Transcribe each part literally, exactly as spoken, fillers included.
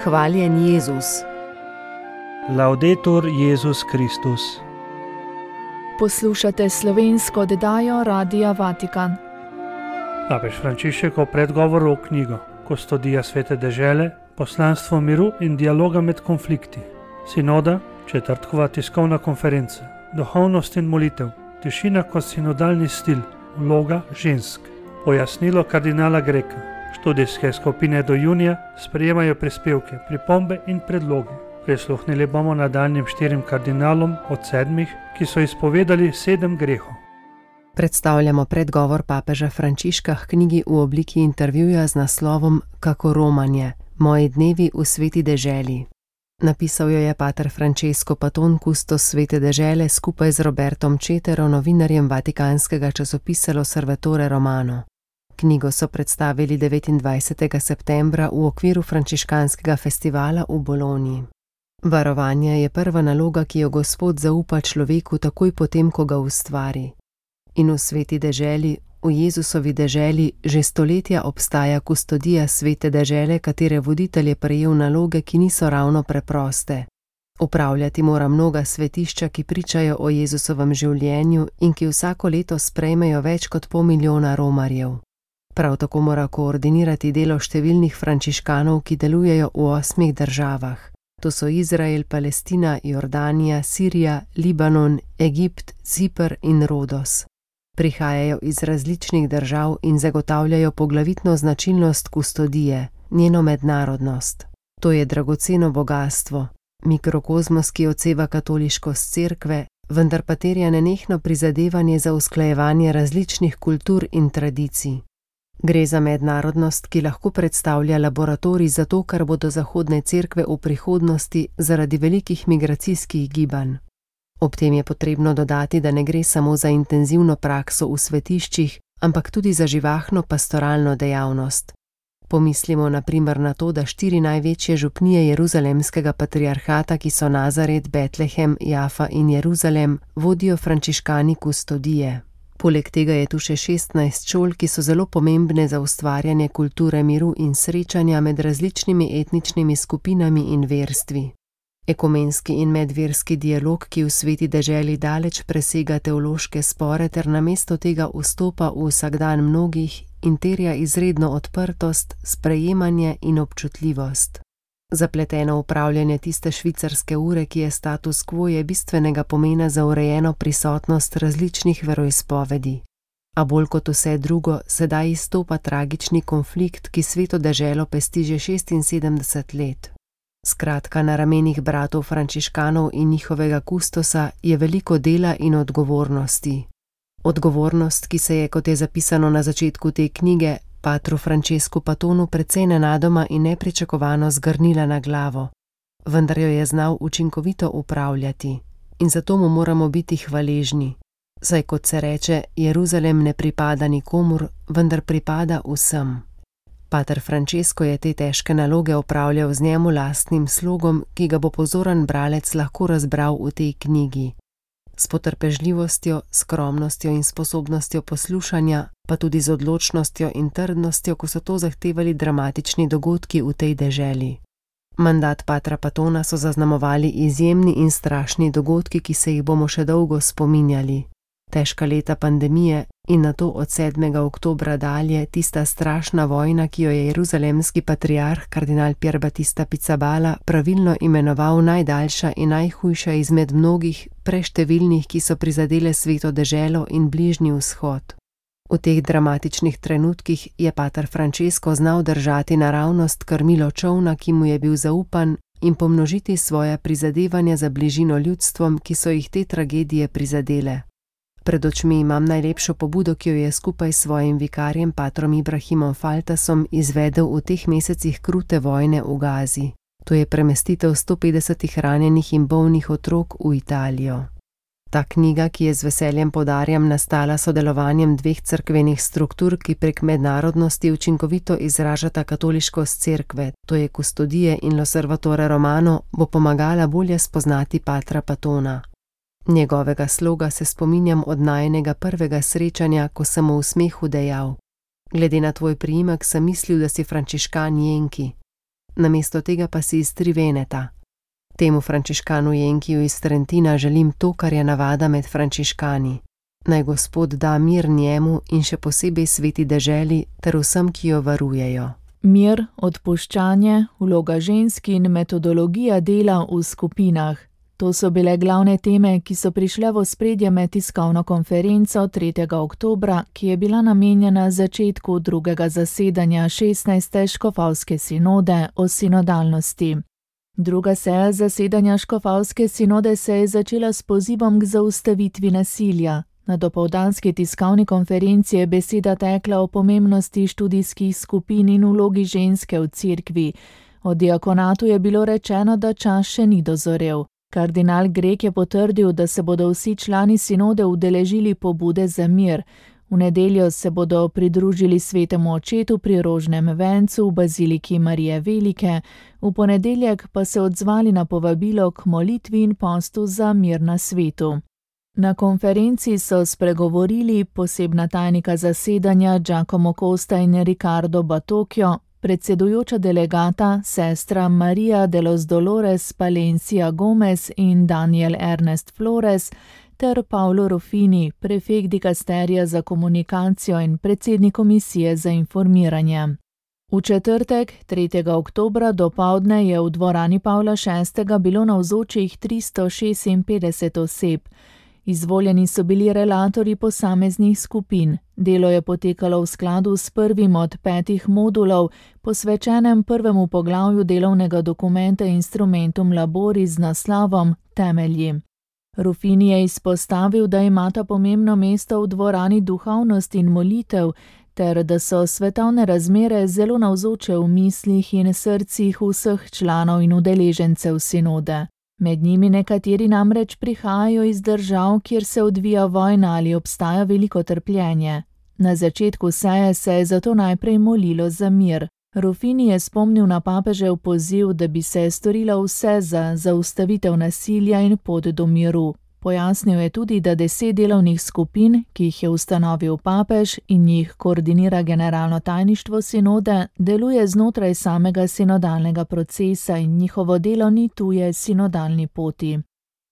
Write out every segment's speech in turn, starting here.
Hvaljen Jezus. Laudetur Jezus Kristus. Poslušate slovensko oddajo Radia Vatikan. Papež Frančišek o predgovoru v knjigo Kustodija svete dežele, poslanstvo miru in dialoga med konflikti. Sinoda, četrtkova tiskovna konferenca, duhovnost in molitev, tišina kot sinodalni stil, vloga žensk. Pojasnilo kardinala Greka. Študijske skupine do junija sprejemajo prispevke, pripombe in predloge. Prisluhnili bomo nadaljnjim štirim kardinalom od sedmih, ki so izpovedali sedem grehov. Predstavljamo predgovor papeža Frančiška k knjigi v obliki intervjuja z naslovom Kako romanje, moji dnevi v sveti deželi. Napisal jo je pater Francesco Paton, kustos svete dežele, skupaj z Robertom Cetero, novinarjem vatikanskega časopisa L'Osservatore Romano. Knjigo so predstavili devetindvajsetega septembra v okviru frančiškanskega festivala v Bologni. Varovanje je prva naloga, ki jo Gospod zaupa človeku takoj potem, ko ga ustvari. In v sveti deželi, v Jezusovi deželi, že stoletja obstaja kustodija svete dežele, katere voditelj je prejel naloge, ki niso ravno preproste. Upravljati mora mnoga svetišča, ki pričajo o Jezusovem življenju in ki vsako leto sprejmejo več kot pol milijona romarjev. Prav tako mora koordinirati delo številnih frančiškanov, ki delujejo v osmih državah. To so Izrael, Palestina, Jordanija, Sirija, Libanon, Egipt, Ciper in Rodos. Prihajajo iz različnih držav in zagotavljajo poglavitno značilnost kustodije, njeno mednarodnost. To je dragoceno bogastvo, mikrokozmos, ki odseva katoliškost cerkve, vendar pa terja nenehno prizadevanje za usklajevanje različnih kultur in tradicij. Gre za mednarodnost, ki lahko predstavlja laboratorij za to, kar bodo zahodne cerkve v prihodnosti zaradi velikih migracijskih gibanj. Ob tem je potrebno dodati, da ne gre samo za intenzivno prakso v svetiščih, ampak tudi za živahno pastoralno dejavnost. Pomislimo na primer na to, da štiri največje župnije Jeruzalemskega patriarhata, ki so Nazaret, Betlehem, Jafa in Jeruzalem, vodijo frančiškani kustodije. Poleg tega je tu še šestnajst šol, ki so zelo pomembne za ustvarjanje kulture miru in srečanja med različnimi etničnimi skupinami in verstvi. Ekumenski in medverski dialog, ki v sveti deželi daleč presega teološke spore ter namesto tega vstopa v vsakdan mnogih in terja izredno odprtost, sprejemanje in občutljivost. Zapleteno upravljanje tiste švicarske ure, ki je status quo, je bistvenega pomena za urejeno prisotnost različnih veroizpovedi. A bolj kot vse drugo, sedaj izstopa tragični konflikt, ki sveto deželo pesti že šestinsedemdeset let. Skratka, na ramenih bratov frančiškanov in njihovega kustosa je veliko dela in odgovornosti. Odgovornost, ki se je, kot je zapisano na začetku te knjige, patru Francescu Patonu precej nenadoma in nepričakovano zgrnila na glavo, vendar jo je znal učinkovito upravljati in zato mu moramo biti hvaležni. Saj kot se reče, Jeruzalem ne pripada nikomur, vendar pripada vsem. Pater Francesco je te težke naloge opravljal z njemu lastnim slogom, ki ga bo pozoren bralec lahko razbral v tej knjigi. S potrpežljivostjo, skromnostjo in sposobnostjo poslušanja, pa tudi z odločnostjo in trdnostjo, ko so to zahtevali dramatični dogodki v tej deželi. Mandat patra Patona so zaznamovali izjemni in strašni dogodki, ki se jih bomo še dolgo spominjali. Težka leta pandemije in nato od sedmega oktobra dalje tista strašna vojna, ki jo je jeruzalemski patriarh kardinal Pier Battista Pizzaballa pravilno imenoval najdaljša in najhujša izmed mnogih preštevilnih, ki so prizadele sveto deželo in bližnji vzhod. V teh dramatičnih trenutkih je pater Francesco znal držati naravnost krmilo čolna, ki mu je bil zaupan, in pomnožiti svoja prizadevanja za bližino ljudstvom, ki so jih te tragedije prizadele. Pred očmi imam najlepšo pobudo, ki jo je skupaj s svojim vikarjem patrom Ibrahimom Faltasom izvedel v teh mesecih krute vojne v Gazi. To je premestitev sto petdesetih ranjenih in bolnih otrok v Italijo. Ta knjiga, ki je z veseljem poudarjam nastala sodelovanjem dveh cerkvenih struktur, ki prek mednarodnosti učinkovito izražata katoliškost cerkve, to je Kustodije in L'Osservatore Romano, bo pomagala bolje spoznati patra Patona. Njegovega sloga se spominjam od najinega prvega srečanja, ko sem mu v smehu dejal: glede na tvoj priimek sem mislil, da si frančiškan Jenki. namesto tega pa si iz Triveneta. Temu frančiškanu Jenkiju iz Trentina želim to, kar je navada med frančiškani. Naj Gospod da mir njemu in še posebej sveti deželi ter vsem, ki jo varujejo. Mir, odpuščanje, vloga žensk in metodologija dela v skupinah. To so bile glavne teme, ki so prišle v ospredje med tiskovno konferenco tretjega oktobra, ki je bila namenjena začetku drugega zasedanja šestnajste škofovske sinode o sinodalnosti. Druga seja zasedanja škofovske sinode se je začela s pozivom k zaustavitvi nasilja. Na dopoldanski tiskovni konferenci je beseda tekla o pomembnosti študijskih skupin in vlogi ženske v cerkvi. O diakonatu je bilo rečeno, da čas še ni dozorel. Kardinal Grek je potrdil, da se bodo vsi člani sinode udeležili pobude za mir. V nedeljo se bodo pridružili svetemu očetu pri rožnem vencu v baziliki Marije Velike, v ponedeljek pa se odzvali na povabilo k molitvi in postu za mir na svetu. Na konferenci so spregovorili posebna tajnika zasedanja Giacomo Costa in Ricardo Batocchio, predsedujoča delegata sestra Maria de los Dolores Palencia Gomez in Daniel Ernest Flores ter Paolo Ruffini, prefekt dikasterija za komunikacijo in predsednik komisije za informiranje. V četrtek, tretjega oktobra dopoldne je v dvorani Pavla šestega bilo navzočih tristo šestinpetdeset oseb. Izvoljeni so bili relatorji posameznih skupin. Delo je potekalo v skladu s prvim od petih modulov, posvečenem prvemu poglavju delovnega dokumenta Instrumentum Laboris z naslovom Temelji. Ruffini je izpostavil, da imata pomembno mesto v dvorani duhovnost in molitev, ter da so svetovne razmere zelo navzoče v mislih in srcih vseh članov in udeležencev sinode. Med njimi nekateri namreč prihajajo iz držav, kjer se odvija vojna ali obstaja veliko trpljenje. Na začetku seje se je zato najprej molilo za mir. Ruffini je spomnil na papežev poziv, da bi se storilo vse za zaustavitev nasilja in pot do miru. Pojasnil je tudi, da deset delovnih skupin, ki jih je ustanovil papež in jih koordinira generalno tajništvo sinode, deluje znotraj samega sinodalnega procesa in njihovo delo ni tuje sinodalni poti.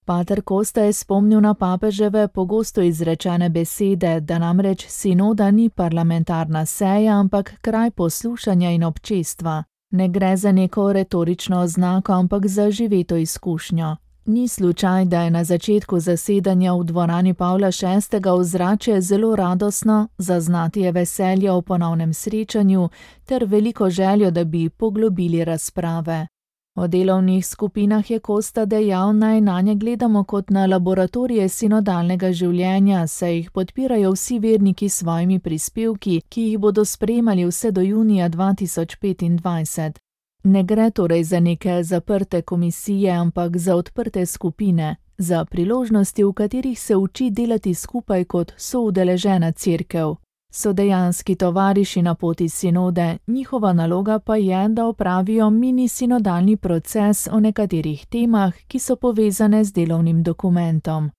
Pater Costa je spomnil na papeževe pogosto izrečene besede, da namreč sinoda ni parlamentarna seja, ampak kraj poslušanja in občestva. Ne gre za neko retorično oznako, ampak za živeto izkušnjo. Ni slučaj, da je na začetku zasedanja v dvorani Pavla šestega ozračje zelo radosno, zaznati je veselje o ponovnem srečanju ter veliko željo, da bi poglobili razprave. O delovnih skupinah je Costa dejal, naj nanje gledamo kot na laboratorije sinodalnega življenja, saj jih podpirajo vsi verniki s svojimi prispevki, ki jih bodo sprejemali vse do junija dva tisoč petindvajset. Ne gre torej za neke zaprte komisije, ampak za odprte skupine, za priložnosti, v katerih se uči delati skupaj kot soudeležena cerkev. So dejanski tovariši na poti sinode, njihova naloga pa je, da opravijo mini sinodalni proces o nekaterih temah, ki so povezane z delovnim dokumentom.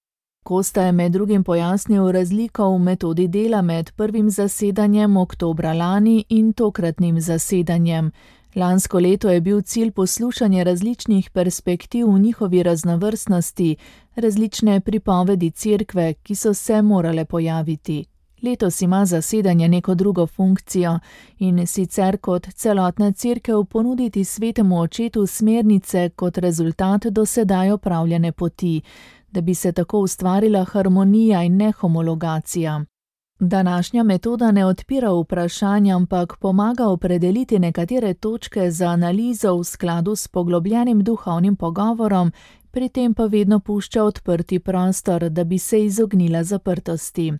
Costa je med drugim pojasnil razliko v metodi dela med prvim zasedanjem oktobra lani in tokratnim zasedanjem. Lansko leto je bil cilj poslušanje različnih perspektiv v njihovi raznovrstnosti, različne pripovedi cerkve, ki so se morale pojaviti. Letos ima zasedanje neko drugo funkcijo in sicer kot celotna cerkev ponuditi svetemu očetu smernice kot rezultat do sedaj opravljene poti, da bi se tako ustvarila harmonija in ne homologacija. Današnja metoda ne odpira vprašanja, ampak pomaga opredeliti nekatere točke za analizo v skladu s poglobljenim duhovnim pogovorom, pri tem pa vedno pušča odprti prostor, da bi se izognila zaprtosti.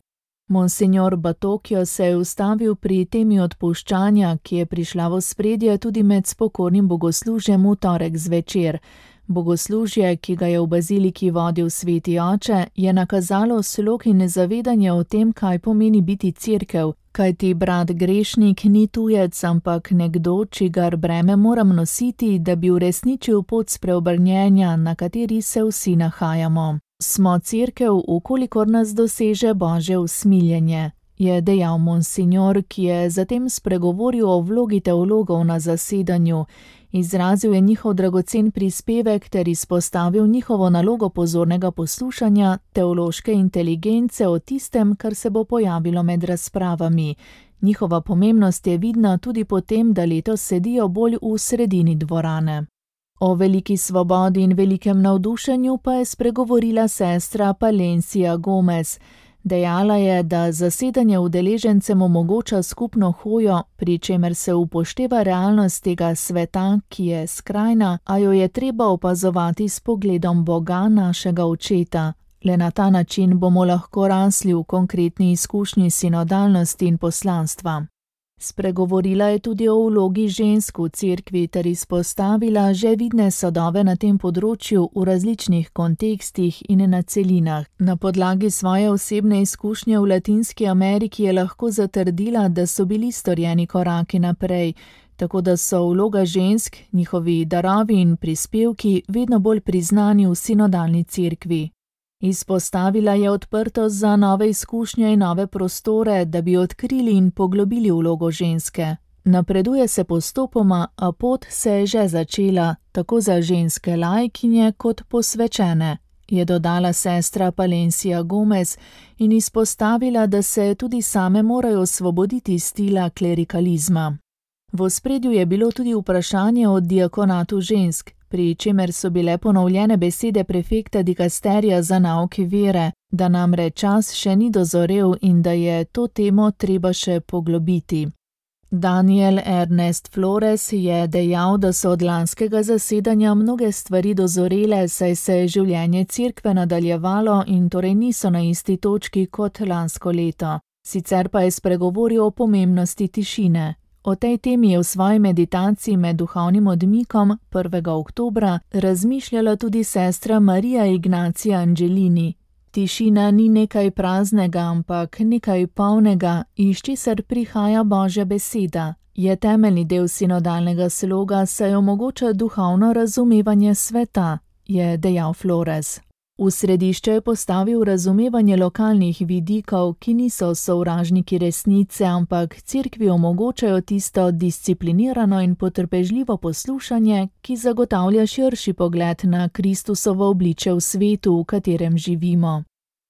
Monsignor Batocchio se je ustavil pri temi odpuščanja, ki je prišla v ospredje tudi med spokornim bogoslužjem v torek zvečer. Bogoslužje, ki ga je v baziliki vodil sveti oče, je nakazalo slog in zavedanje o tem, kaj pomeni biti cerkev, kajti brat grešnik ni tujec, ampak nekdo, čigar breme moram nositi, da bi uresničil pot spreobrnjenja, na kateri se vsi nahajamo. Smo cerkev, ukolikor nas doseže Božje usmiljenje. je dejal monsignor, ki je zatem spregovoril o vlogi teologov na zasedanju. Izrazil je njihov dragocen prispevek ter izpostavil njihovo nalogo pozornega poslušanja, teološke inteligence o tistem, kar se bo pojavilo med razpravami. Njihova pomembnost je vidna tudi po tem, da letos sedijo bolj v sredini dvorane. O veliki svobodi in velikem navdušenju pa je spregovorila sestra Palencia Gomez. Dejala je, da zasedanje udeležencem omogoča skupno hojo, pri čemer se upošteva realnost tega sveta, ki je skrajna, a jo je treba opazovati s pogledom Boga, našega očeta. Le na ta način bomo lahko rasli v konkretni izkušnji sinodalnosti in poslanstva. Spregovorila je tudi o vlogi žensk v cerkvi ter izpostavila že vidne sadove na tem področju v različnih kontekstih in na celinah. Na podlagi svoje osebne izkušnje v Latinski Ameriki je lahko zatrdila, da so bili storjeni koraki naprej, tako da so vloga žensk, njihovi darovi in prispevki vedno bolj priznani v sinodalni cerkvi. Izpostavila je odprtost za nove izkušnje in nove prostore, da bi odkrili in poglobili vlogo ženske. Napreduje se postopoma, a pot se je že začela, tako za ženske laikinje kot posvečene, je dodala sestra Palencia Gomez in izpostavila, da se tudi same morajo osvoboditi stila klerikalizma. V ospredju je bilo tudi vprašanje o diakonatu žensk, pri čemer so bile ponovljene besede prefekta dikasterija za nauki vere, da namreč čas še ni dozorel in da je to temo treba še poglobiti. Daniel Ernest Flores je dejal, da so od lanskega zasedanja mnoge stvari dozorele, saj se je življenje cerkve nadaljevalo in torej niso na isti točki kot lansko leto. Sicer pa je spregovoril o pomembnosti tišine. O tej temi je v svoji meditaciji med duhovnim odmikom prvega oktobra razmišljala tudi sestra Marija Ignacija Angelini. Tišina ni nekaj praznega, ampak nekaj polnega, iz česar prihaja Božja beseda. Je temeljni del sinodalnega sloga, saj omogoča duhovno razumevanje sveta, je dejal Flores. V središče je postavil razumevanje lokalnih vidikov, ki niso sovražniki resnice, ampak cerkvi omogočajo tisto disciplinirano in potrpežljivo poslušanje, ki zagotavlja širši pogled na Kristusovo obličje v svetu, v katerem živimo.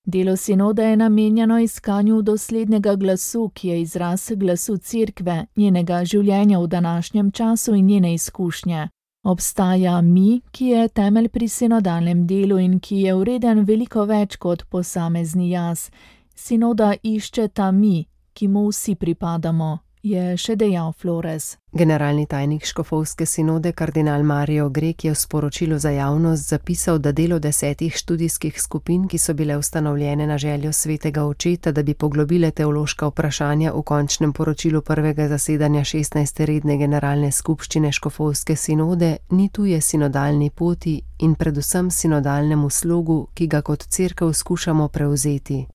Delo sinoda je namenjeno iskanju doslednega glasu, ki je izraz glasu cerkve, njenega življenja v današnjem času in njene izkušnje. Obstaja mi, ki je temelj pri sinodalnem delu in ki je vreden veliko več kot posamezni jaz. Sinoda išče ta mi, ki mu vsi pripadamo, je še dejal Flores. Generalni tajnik škofovske sinode kardinal Mario Grek je v sporočilu za javnost zapisal, da delo desetih študijskih skupin, ki so bile ustanovljene na željo svetega očeta, da bi poglobile teološka vprašanja v končnem poročilu prvega zasedanja šestnajste redne generalne skupščine škofovske sinode, ni tuje sinodalni poti in predvsem sinodalnemu slogu, ki ga kot cerkev skušamo prevzeti.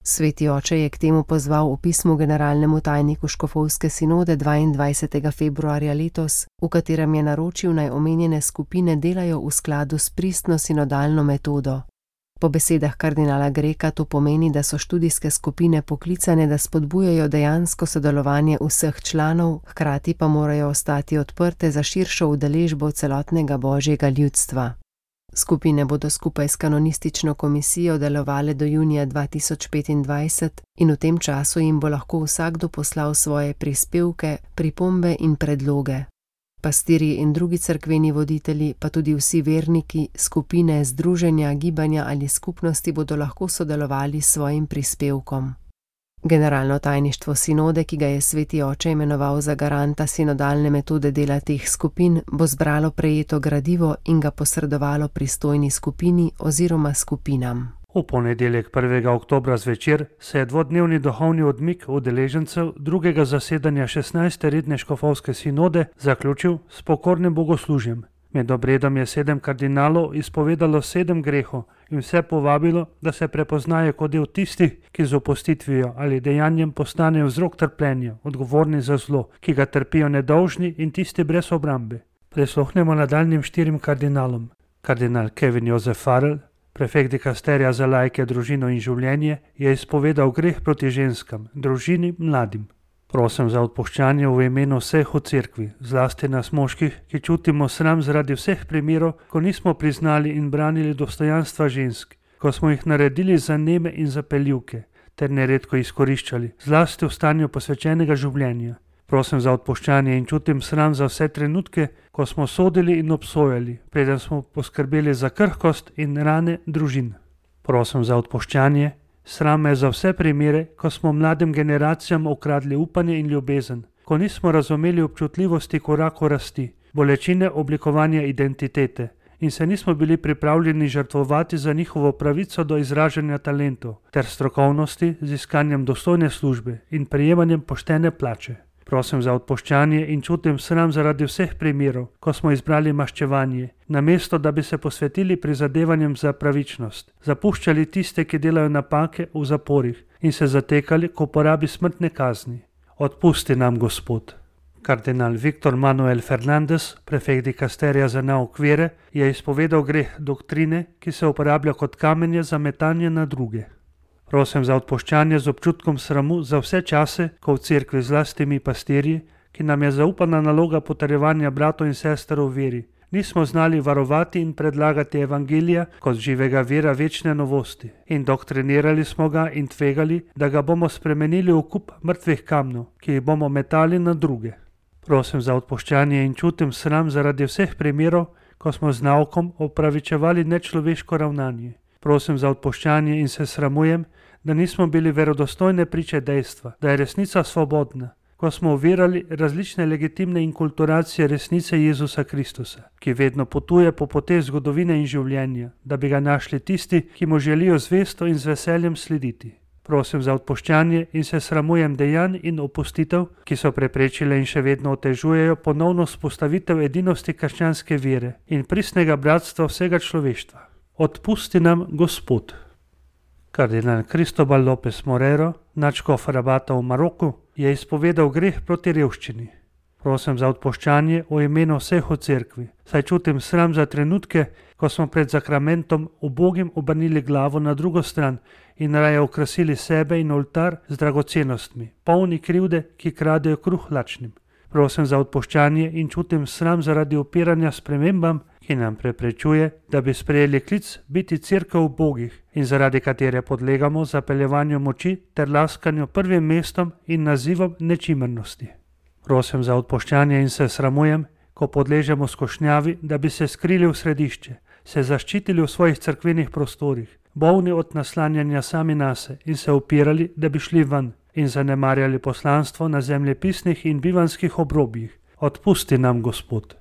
Sveti oče je k temu pozval v pismu generalnemu tajniku škofovske sinode dvaindvajsetega februarja letos, v katerem je naročil, naj omenjene skupine delajo v skladu s pristno sinodalno metodo. Po besedah kardinala Greka to pomeni, da so študijske skupine poklicane, da spodbujajo dejansko sodelovanje vseh članov, hkrati pa morajo ostati odprte za širšo udeležbo celotnega božjega ljudstva. Skupine bodo skupaj s kanonistično komisijo delovale do junija dva tisoč petindvajset in v tem času jim bo lahko vsakdo poslal svoje prispevke, pripombe in predloge. Pastirji in drugi cerkveni voditelji, pa tudi vsi verniki, skupine, združenja, gibanja ali skupnosti bodo lahko sodelovali s svojim prispevkom. Generalno tajništvo sinode, ki ga je sveti oče imenoval za garanta sinodalne metode dela teh skupin, bo zbralo prejeto gradivo in ga posredovalo pristojni skupini oziroma skupinam. V ponedeljek prvega oktobra zvečer se je dvodnevni duhovni odmik udeležencev drugega zasedanja šestnajste redne škofovske sinode zaključil s pokornim bogoslužjem. Med obredom je sedem kardinalov izpovedalo sedem grehov in vse povabilo, da se prepoznajo kot del tistih, ki z opustitvijo ali dejanjem postanejo vzrok trpljenja, odgovorni za zlo, ki ga trpijo nedolžni in tisti brez obrambe. Prisluhnemo nadaljnjim štirim kardinalom. Kardinal Kevin Josef Farrell, Prefekt dikasterija za laike, družino in življenje je izpovedal greh proti ženskam, družini, mladim. Prosim za odpuščanje v imenu vseh v cerkvi, zlasti nas moških, ki čutimo sram zaradi vseh primerov, ko nismo priznali in branili dostojanstva žensk, ko smo jih naredili za neme in zapeljivke, ter neredko izkoriščali, zlasti v stanju posvečenega življenja. Prosim za odpuščanje in čutim sram za vse trenutke, ko smo sodili in obsojali, preden smo poskrbeli za krhkost in rane družin. Prosim za odpuščanje, sram me za vse primere, ko smo mladim generacijam ukradli upanje in ljubezen, ko nismo razumeli občutljivosti koraku rasti, bolečine oblikovanja identitete in se nismo bili pripravljeni žrtvovati za njihovo pravico do izražanja talentov ter strokovnosti z iskanjem dostojne službe in prejemanjem poštene plače. Prosim za odpuščanje in čutim sram zaradi vseh primerov, ko smo izbrali maščevanje, namesto da bi se posvetili prizadevanjem za pravičnost, zapuščali tiste, ki delajo napake v zaporih in se zatekali k uporabi smrtne kazni. Odpusti nam, Gospod. Kardinal Viktor Manuel Fernandez, prefekt dikasterija za nauk vere, je izpovedal greh doktrine, ki se uporablja kot kamenje za metanje na druge. Prosim za odpuščanje z občutkom sramu za vse čase, ko v cerkvi zlasti mi pastirji, ki nam je zaupana naloga potrjevanja bratov in sester v veri, nismo znali varovati in predlagati evangelija kot živega vira večne novosti in doktrinirali smo ga in tvegali, da ga bomo spremenili v kup mrtvih kamnov, ki jih bomo metali na druge. Prosim za odpuščanje in čutim sram zaradi vseh primerov, ko smo z naukom opravičevali nečloveško ravnanje. Prosim za odpuščanje in se sramujem, da nismo bili verodostojne priče dejstva, da je resnica svobodna, ko smo ovirali različne legitimne inkulturacije resnice Jezusa Kristusa, ki vedno potuje po poteh zgodovine in življenja, da bi ga našli tisti, ki mu želijo zvesto in z veseljem slediti. Prosim za odpuščanje in se sramujem dejanj in opustitev, ki so preprečile in še vedno otežujejo ponovno vzpostavitev edinosti krščanske vere in pristnega bratstva vsega človeštva. Odpusti nam, Gospod. Kardinal Cristobal López Morero, nadškof Rabata v Maroku, je izpovedal greh proti revščini. Prosim za odpuščanje v imenu vseh v cerkvi, saj čutim sram za trenutke, ko smo pred zakramentom ubogim obrnili glavo na drugo stran in raje okrasili sebe in oltar z dragocenostmi, polni krivde, ki kradejo kruh lačnim. Prosim za odpuščanje in čutim sram zaradi upiranja spremembam, ki nam preprečuje, da bi sprejeli klic biti cerkev ubogih in zaradi katere podlegamo zapeljevanju moči ter laskanju prvim mestom in nazivom nečimrnosti. Prosim za odpuščanje in se sramujem, ko podležemo skošnjavi, da bi se skrili v središče, se zaščitili v svojih cerkvenih prostorih, bolni od naslanjanja sami nase in se upirali, da bi šli ven in zanemarjali poslanstvo na zemljepisnih in bivanskih obrobjih. Odpusti nam, Gospod.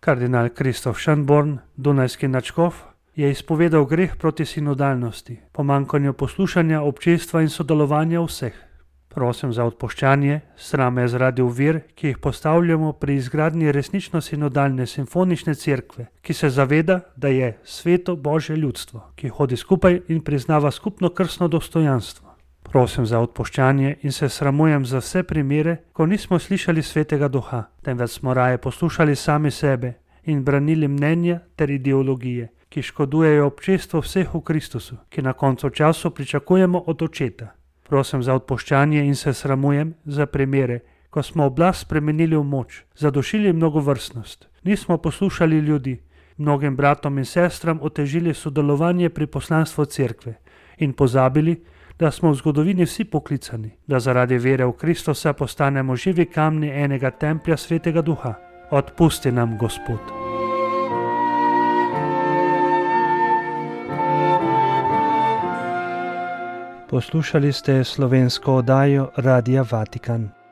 Kardinal Kristof Schönborn, dunajski nadškof, je izpovedal greh proti sinodalnosti, pomanjkanju poslušanja občestva in sodelovanja vseh. Prosim za odpuščanje, sram me zaradi ovir, ki jih postavljamo pri izgradnji resnično sinodalne simfonične cerkve, ki se zaveda, da je sveto Božje ljudstvo, ki hodi skupaj in priznava skupno krstno dostojanstvo. Prosim za odpuščanje in se sramujem za vse primere, ko nismo slišali svetega duha, temveč smo raje poslušali sami sebe in branili mnenja ter ideologije, ki škodujejo občestvu vseh v Kristusu, ki na koncu času pričakujemo od očeta. Prosim za odpuščanje in se sramujem za primere, ko smo oblast spremenili v moč, zadušili mnogovrstnost, nismo poslušali ljudi, mnogim bratom in sestram otežili sodelovanje pri poslanstvu cerkve in pozabili, da smo v zgodovini vsi poklicani, da zaradi vere v Kristusa postanemo živi kamni enega templja svetega duha. Odpusti nam, Gospod. Poslušali ste slovensko oddajo Radia Vatikan.